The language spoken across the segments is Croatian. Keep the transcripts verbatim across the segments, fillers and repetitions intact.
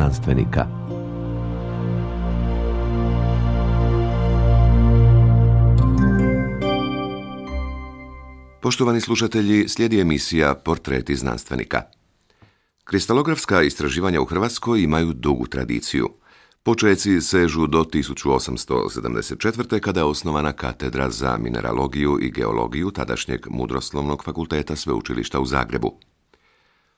znanstvenika. Poštovani slušatelji, slijedi emisija Portreti znanstvenika. Kristalografska istraživanja u Hrvatskoj imaju dugu tradiciju. Počeci sežu do tisuću osamsto sedamdeset četvrte. kada je osnovana katedra za mineralogiju i geologiju tadašnjeg Mudroslovnog fakulteta Sveučilišta u Zagrebu.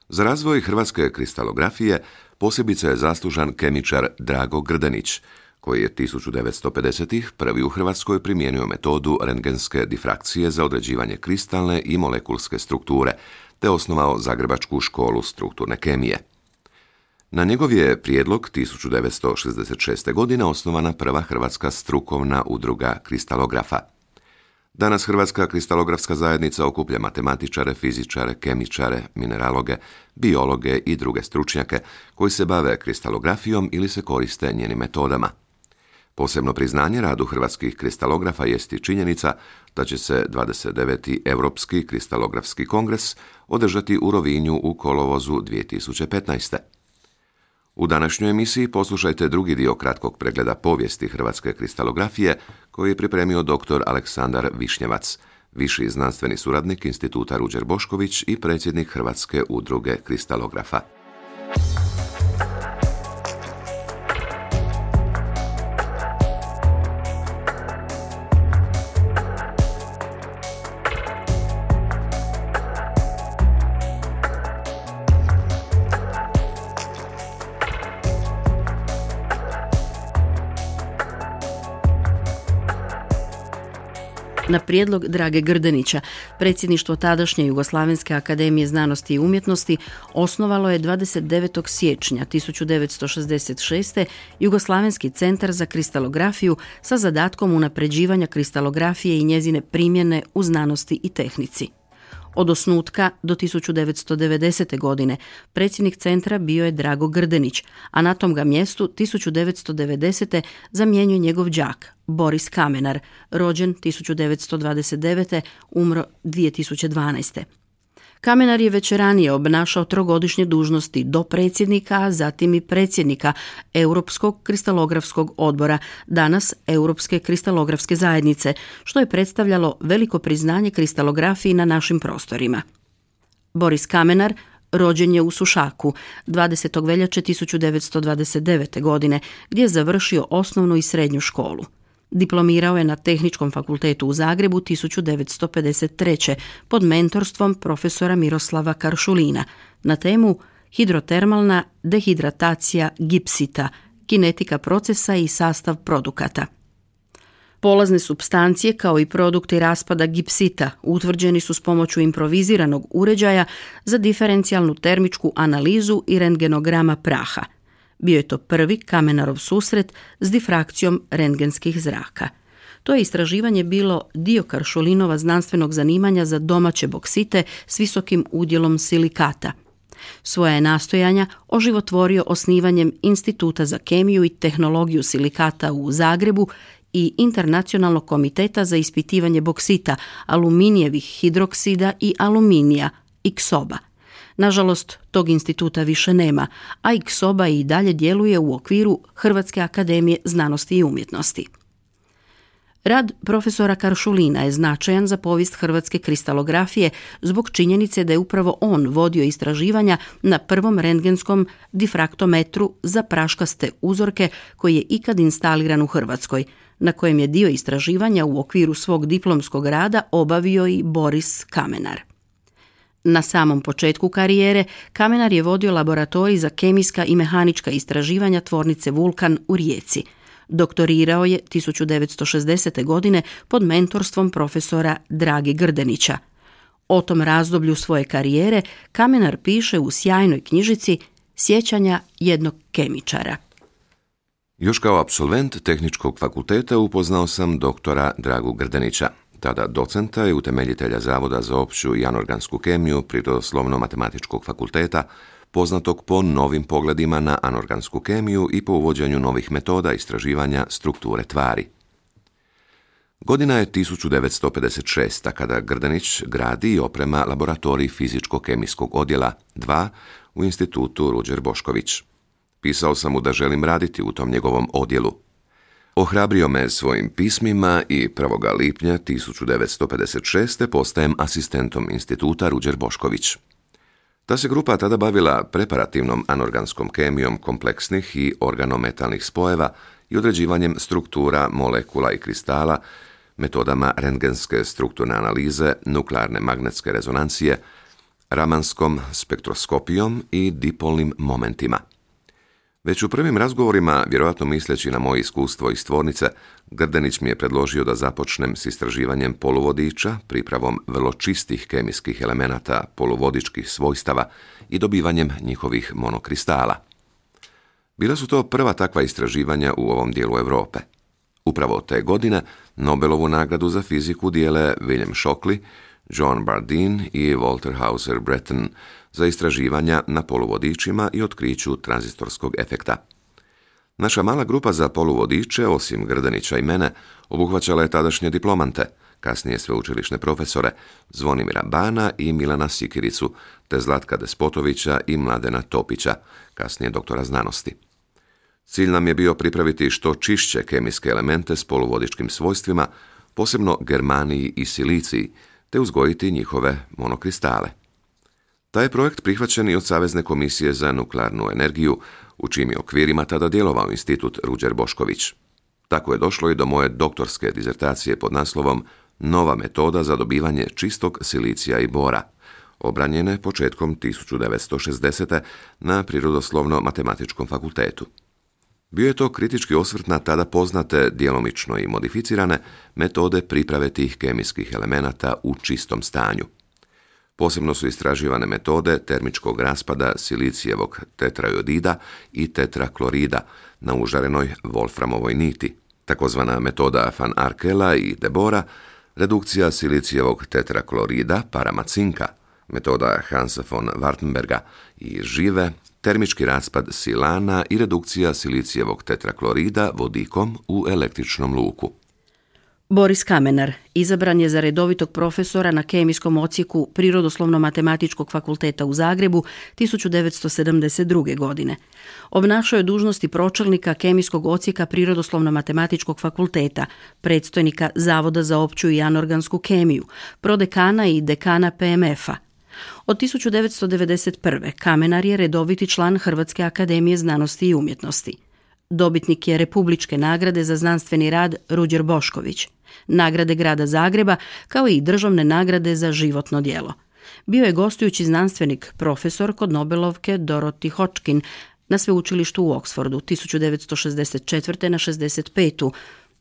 Za razvoj hrvatske kristalografije posebice je zaslužan kemičar Drago Grdenić, koji je tisuću devetsto pedesetih. prvi u Hrvatskoj primijenio metodu rentgenske difrakcije za određivanje kristalne i molekulske strukture, te osnovao Zagrebačku školu strukturne kemije. Na njegov je prijedlog tisuću devetsto šezdeset šeste. godine osnovana prva hrvatska strukovna udruga kristalografa. Danas Hrvatska kristalografska zajednica okuplja matematičare, fizičare, kemičare, mineraloge, biologe i druge stručnjake koji se bave kristalografijom ili se koriste njenim metodama. Posebno priznanje radu hrvatskih kristalografa jest i činjenica da će se dvadeset deveti. Europski kristalografski kongres održati u Rovinju u kolovozu dvije tisuće petnaeste. U današnjoj emisiji poslušajte drugi dio kratkog pregleda povijesti hrvatske kristalografije koji je pripremio doktor Aleksandar Višnjevac, viši znanstveni suradnik Instituta Ruđer Bošković i predsjednik Hrvatske udruge kristalografa. Na prijedlog Drage Grdenića, predsjedništvo tadašnje Jugoslavenske akademije znanosti i umjetnosti osnovalo je dvadeset devetog siječnja tisuću devetsto šezdeset šeste. Jugoslavenski centar za kristalografiju sa zadatkom unapređivanja kristalografije i njezine primjene u znanosti i tehnici. Od osnutka do tisuću devetsto devedesete. godine predsjednik centra bio je Drago Grdenić, a na tom ga mjestu tisuću devetsto devedesete. zamjenjuje njegov đak Boris Kamenar, rođen tisuću devetsto dvadeset devete. umro dvije tisuće dvanaeste. Kamenar je već ranije obnašao trogodišnje dužnosti do predsjednika, a zatim i predsjednika Europskog kristalografskog odbora, danas Europske kristalografske zajednice, što je predstavljalo veliko priznanje kristalografiji na našim prostorima. Boris Kamenar rođen je u Sušaku dvadesetog veljače tisuću devetsto dvadeset devete. godine, gdje je završio osnovnu i srednju školu. Diplomirao je na Tehničkom fakultetu u Zagrebu tisuću devetsto pedeset treće. pod mentorstvom profesora Miroslava Karšulina na temu hidrotermalna dehidratacija gipsita, kinetika procesa i sastav produkata. Polazne supstancije kao i produkti raspada gipsita utvrđeni su s pomoću improviziranog uređaja za diferencijalnu termičku analizu i rentgenograma praha. Bio je to prvi Kamenarov susret s difrakcijom rentgenskih zraka. To je istraživanje bilo dio Karšulinova znanstvenog zanimanja za domaće boksite s visokim udjelom silikata. Svoja je nastojanja oživotvorio osnivanjem Instituta za kemiju i tehnologiju silikata u Zagrebu i Internacionalnog komiteta za ispitivanje boksita, aluminijevih hidroksida i aluminija, I K S O B A. Nažalost, tog instituta više nema, a I K S O B A i dalje djeluje u okviru Hrvatske akademije znanosti i umjetnosti. Rad profesora Karšulina je značajan za povijest hrvatske kristalografije zbog činjenice da je upravo on vodio istraživanja na prvom rentgenskom difraktometru za praškaste uzorke koji je ikad instaliran u Hrvatskoj, na kojem je dio istraživanja u okviru svog diplomskog rada obavio i Boris Kamenar. Na samom početku karijere Kamenar je vodio laboratorij za kemijska i mehanička istraživanja tvornice Vulkan u Rijeci. Doktorirao je tisuću devetsto šezdesete. godine pod mentorstvom profesora Drage Grdenića. O tom razdoblju svoje karijere Kamenar piše u sjajnoj knjižici Sjećanja jednog kemičara. Još kao apsolvent Tehničkog fakulteta upoznao sam doktora Dragu Grdenića, tada docenta i utemeljitelja Zavoda za opću i anorgansku kemiju Prirodoslovno-matematičkog fakulteta, poznatog po novim pogledima na anorgansku kemiju i po uvođenju novih metoda istraživanja strukture tvari. Godina je tisuću devetsto pedeset šesta. kada Grdenić gradi i oprema laboratorij fizičko-kemijskog odjela dva u Institutu Ruđer Bošković. Pisao sam mu da želim raditi u tom njegovom odjelu. Ohrabrio me svojim pismima i prvog lipnja tisuću devetsto pedeset šeste postajem asistentom instituta Ruđer Bošković. Ta se grupa tada bavila preparativnom anorganskom kemijom kompleksnih i organometalnih spojeva i određivanjem struktura molekula i kristala, metodama rentgenske strukturne analize, nuklearne magnetske rezonancije, ramanskom spektroskopijom i dipolnim momentima. Već u prvim razgovorima, vjerojatno misleći na moje iskustvo iz tvornice, Grdenić mi je predložio da započnem s istraživanjem poluvodiča, pripravom vrlo čistih kemijskih elemenata poluvodičkih svojstava i dobivanjem njihovih monokristala. Bila su to prva takva istraživanja u ovom dijelu Europe. Upravo te godine Nobelovu nagradu za fiziku dijele William Shockley, John Bardeen i Walter Hauser Breton za istraživanja na poluvodičima i otkriću tranzistorskog efekta. Naša mala grupa za poluvodiče, osim Grdenića i mene, obuhvaćala je tadašnje diplomante, kasnije sveučilišne profesore, Zvonimira Bana i Milana Sikiricu, te Zlatka Despotovića i Mladena Topića, kasnije doktora znanosti. Cilj nam je bio pripraviti što čišće kemijske elemente s poluvodičkim svojstvima, posebno germaniji i siliciji, te uzgojiti njihove monokristale. Taj je projekt prihvaćen i od Savezne komisije za nuklearnu energiju, u čijim je okvirima tada djelovao institut Ruđer Bošković. Tako je došlo i do moje doktorske dizertacije pod naslovom Nova metoda za dobivanje čistog silicija i bora, obranjene početkom tisuću devetsto šezdesete. na Prirodoslovno-matematičkom fakultetu. Bio je to kritički osvrt na tada poznate, djelomično i modificirane, metode priprave tih kemijskih elemenata u čistom stanju. Posebno su istraživane metode termičkog raspada silicijevog tetrajodida i tetraklorida na užarenoj wolframovoj niti, takozvana metoda Van Arkela i Debora, redukcija silicijevog tetraklorida parama cinka, metoda Hansa von Wartenberga i žive, termički raspad silana i redukcija silicijevog tetraklorida vodikom u električnom luku. Boris Kamenar izabran je za redovitog profesora na kemijskom odsjeku Prirodoslovno-matematičkog fakulteta u Zagrebu tisuću devetsto sedamdeset druge. godine. Obnašao je dužnosti pročelnika kemijskog odsjeka Prirodoslovno-matematičkog fakulteta, predstojnika Zavoda za opću i anorgansku kemiju, prodekana i dekana P M F-a. Od tisuću devetsto devedeset prve. Kamenar je redoviti član Hrvatske akademije znanosti i umjetnosti. Dobitnik je Republičke nagrade za znanstveni rad Ruđer Bošković, nagrade grada Zagreba, kao i državne nagrade za životno djelo. Bio je gostujući znanstvenik profesor kod Nobelovke Dorothy Hodgkin na sveučilištu u Oxfordu tisuću devetsto šezdeset četvrte. na šezdeset petu.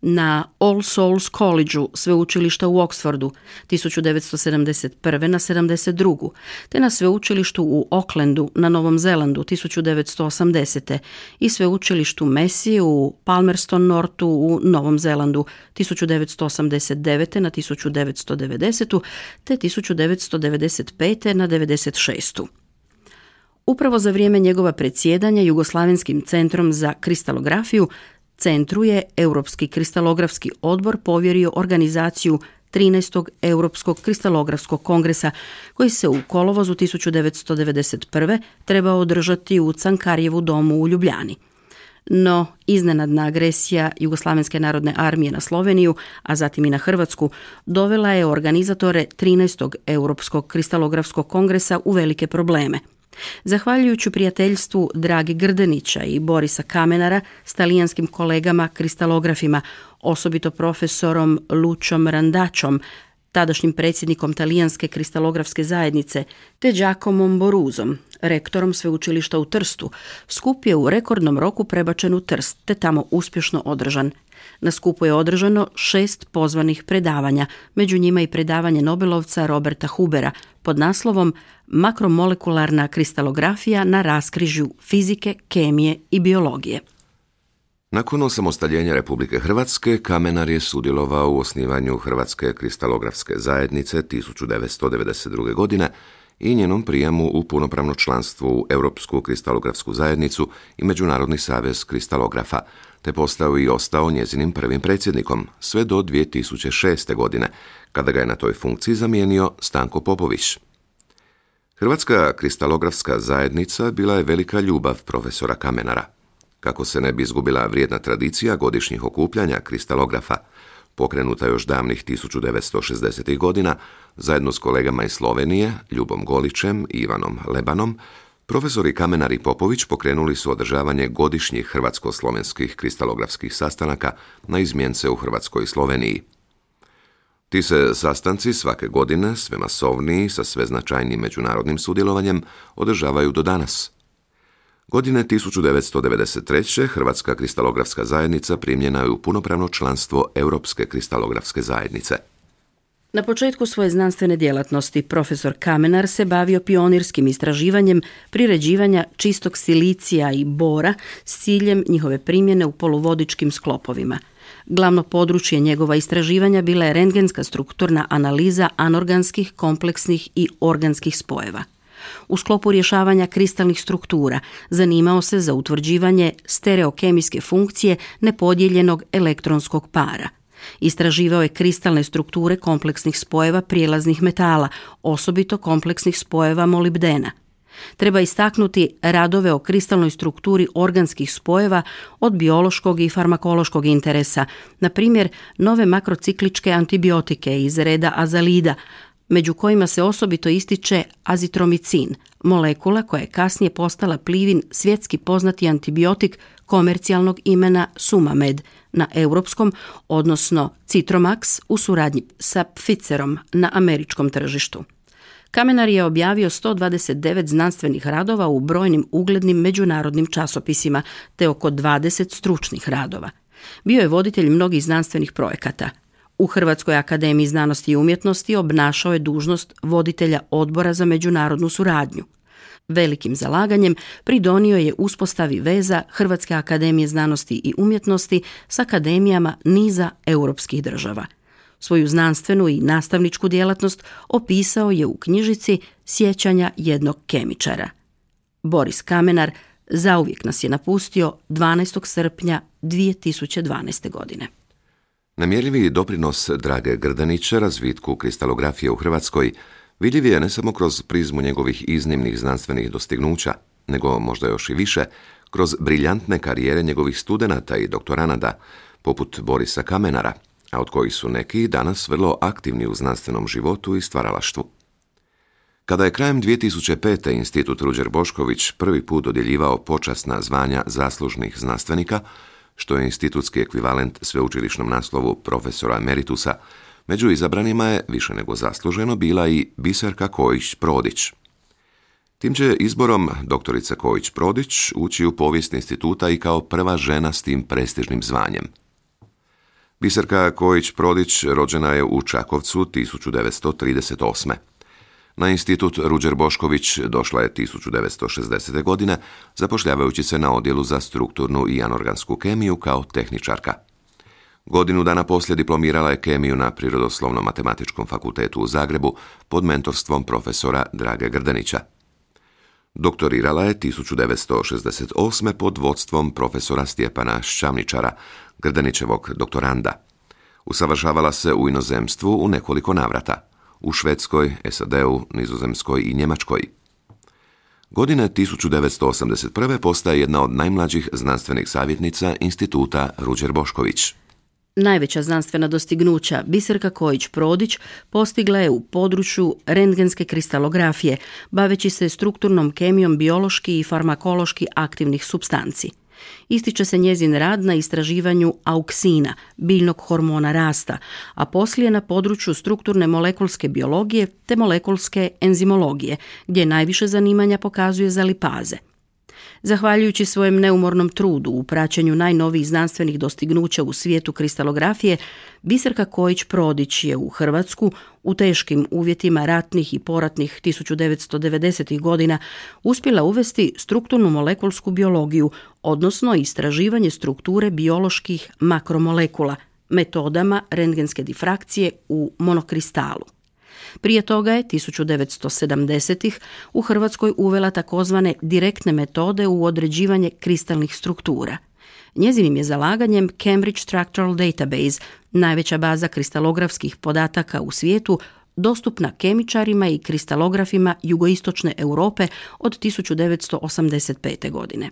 na All Souls College-u sveučilišta u Oxfordu tisuću devetsto sedamdeset prve. na sedamdeset drugu. te na sveučilištu u Aucklandu na Novom Zelandu tisuću devetsto osamdesete. i sveučilištu Massey u Palmerston Northu u Novom Zelandu tisuću devetsto osamdeset devete. na tisuću devetsto devedesetu. te tisuću devetsto devedeset pete. na devedeset šestu. Upravo za vrijeme njegova predsjedanja Jugoslavenskim centrom za kristalografiju centru je Europski kristalografski odbor povjerio organizaciju trinaestog. Europskog kristalografskog kongresa, koji se u kolovozu tisuću devetsto devedeset prve. trebao održati u Cankarjevu domu u Ljubljani. No, iznenadna agresija Jugoslavenske narodne armije na Sloveniju, a zatim i na Hrvatsku, dovela je organizatore trinaestog. Europskog kristalografskog kongresa u velike probleme. Zahvaljujući prijateljstvu Drage Grdenića i Borisa Kamenara s talijanskim kolegama kristalografima, osobito profesorom Lučom Randačom, tadašnjim predsjednikom talijanske kristalografske zajednice, te Giacomom Boruzom, rektorom sveučilišta u Trstu, skup je u rekordnom roku prebačen u Trst, te tamo uspješno održan. Na skupu je održano šest pozvanih predavanja, među njima i predavanje Nobelovca Roberta Hubera pod naslovom Makromolekularna kristalografija na raskrižju fizike, kemije i biologije. Nakon osamostaljenja Republike Hrvatske, Kamenar je sudjelovao u osnivanju Hrvatske kristalografske zajednice tisuću devetsto devedeset druge. godine i njenom prijemu u punopravno članstvo u Europsku kristalografsku zajednicu i Međunarodni savez kristalografa, te postao i ostao njezinim prvim predsjednikom sve do dvije tisuće šeste. godine, kada ga je na toj funkciji zamijenio Stanko Popović. Hrvatska kristalografska zajednica bila je velika ljubav profesora Kamenara. Kako se ne bi izgubila vrijedna tradicija godišnjih okupljanja kristalografa, pokrenuta još davnih tisuću devetsto šezdesetih godina, zajedno s kolegama iz Slovenije, Ljubom Golićem i Ivanom Lebanom, profesori Kamenar i Popović pokrenuli su održavanje godišnjih hrvatsko-slovenskih kristalografskih sastanaka na izmjence u Hrvatskoj i Sloveniji. Ti se sastanci svake godine, sve masovniji, sa sve značajnijim međunarodnim sudjelovanjem, održavaju do danas. Godine tisuću devetsto devedeset treće. Hrvatska kristalografska zajednica primljena je u punopravno članstvo Europske kristalografske zajednice. Na početku svoje znanstvene djelatnosti profesor Kamenar se bavio pionirskim istraživanjem priređivanja čistog silicija i bora s ciljem njihove primjene u poluvodičkim sklopovima. Glavno područje njegova istraživanja bila je rentgenska strukturna analiza anorganskih, kompleksnih i organskih spojeva. U sklopu rješavanja kristalnih struktura zanimao se za utvrđivanje stereokemijske funkcije nepodijeljenog elektronskog para. Istraživao je kristalne strukture kompleksnih spojeva prijelaznih metala, osobito kompleksnih spojeva molibdena. Treba istaknuti radove o kristalnoj strukturi organskih spojeva od biološkog i farmakološkog interesa, na primjer nove makrocikličke antibiotike iz reda azalida, među kojima se osobito ističe azitromicin, molekula koja je kasnije postala Plivin svjetski poznati antibiotik komercijalnog imena Sumamed na europskom, odnosno Citromax u suradnji sa Pfizerom na američkom tržištu. Kamenar je objavio sto dvadeset devet znanstvenih radova u brojnim uglednim međunarodnim časopisima te oko dvadeset stručnih radova. Bio je voditelj mnogih znanstvenih projekata. U Hrvatskoj akademiji znanosti i umjetnosti obnašao je dužnost voditelja odbora za međunarodnu suradnju. Velikim zalaganjem pridonio je uspostavi veza Hrvatske akademije znanosti i umjetnosti s akademijama niza europskih država. Svoju znanstvenu i nastavničku djelatnost opisao je u knjižici Sjećanja jednog kemičara. Boris Kamenar zauvijek nas je napustio dvanaestog srpnja dvije tisuće dvanaeste. godine. Nemjerljivi doprinos Drage Grdenića razvitku kristalografije u Hrvatskoj vidljiv je ne samo kroz prizmu njegovih iznimnih znanstvenih dostignuća, nego možda još i više kroz briljantne karijere njegovih studenata i doktoranada, poput Borisa Kamenara, a od kojih su neki danas vrlo aktivni u znanstvenom životu i stvaralaštvu. Kada je krajem dvije tisuće pete. Institut Ruđer Bošković prvi put dodjeljivao počasna zvanja zaslužnih znanstvenika, što je institutski ekvivalent sveučilišnom naslovu profesora emeritusa, među izabranima je više nego zasluženo bila i Biserka Kojić-Prodić. Tim će izborom doktorica Kojić-Prodić ući u povijest instituta i kao prva žena s tim prestižnim zvanjem. Biserka Kojić-Prodić rođena je u Čakovcu tisuću devetsto trideset osme. Na institut Ruđer Bošković došla je tisuću devetsto šezdesete. godine, zapošljavajući se na odjelu za strukturnu i anorgansku kemiju kao tehničarka. Godinu dana poslije diplomirala je kemiju na Prirodoslovno-matematičkom fakultetu u Zagrebu pod mentorstvom profesora Drage Grdenića. Doktorirala je tisuću devetsto šezdeset osme. pod vodstvom profesora Stjepana Šćamničara, Grdenićevog doktoranda. Usavršavala se u inozemstvu u nekoliko navrata, u Švedskoj, S A D-u, Nizozemskoj i Njemačkoj. Godine tisuću devetsto osamdeset prve. postaje jedna od najmlađih znanstvenih savjetnica instituta Ruđer Bošković. Najveća znanstvena dostignuća Biserka Kojić-Prodić postigla je u području rentgenske kristalografije, baveći se strukturnom kemijom biološki i farmakološki aktivnih supstanci. Ističe se njezin rad na istraživanju auksina, biljnog hormona rasta, a poslije na području strukturne molekulske biologije te molekulske enzimologije, gdje najviše zanimanja pokazuje za lipaze. Zahvaljujući svojem neumornom trudu u praćenju najnovijih znanstvenih dostignuća u svijetu kristalografije, Biserka Kojić-Prodić je u Hrvatsku u teškim uvjetima ratnih i poratnih tisuću devetsto devedesetih. godina uspjela uvesti strukturnu molekulsku biologiju, odnosno istraživanje strukture bioloških makromolekula, metodama rentgenske difrakcije u monokristalu. Prije toga je tisuću devetsto sedamdesetih. u Hrvatskoj uvela takozvane direktne metode u određivanje kristalnih struktura. Njezinim je zalaganjem Cambridge Structural Database, najveća baza kristalografskih podataka u svijetu, dostupna kemičarima i kristalografima jugoistočne Europe od tisuću devetsto osamdeset pete. godine.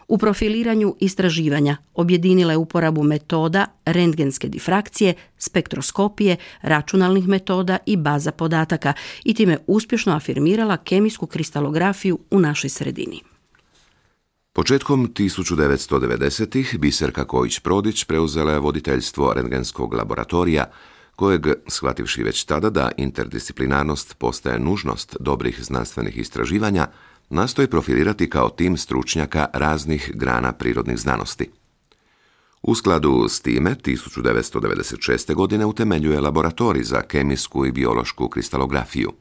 U profiliranju istraživanja objedinila je uporabu metoda rentgenske difrakcije, spektroskopije, računalnih metoda i baza podataka i time uspješno afirmirala kemijsku kristalografiju u našoj sredini. Početkom tisuću devetsto devedesetih. Biserka Kojić-Prodić preuzela je voditeljstvo rentgenskog laboratorija, kojeg, shvativši već tada da interdisciplinarnost postaje nužnost dobrih znanstvenih istraživanja, nastoji profilirati kao tim stručnjaka raznih grana prirodnih znanosti. U skladu s time, tisuću devetsto devedeset šeste. godine utemeljuje laboratorij za kemijsku i biološku kristalografiju.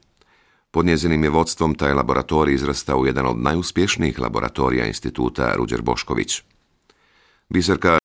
Pod njezinim je vodstvom taj laboratorij izrastao u jedan od najuspješnijih laboratorija instituta Ruđer Bošković. Biserka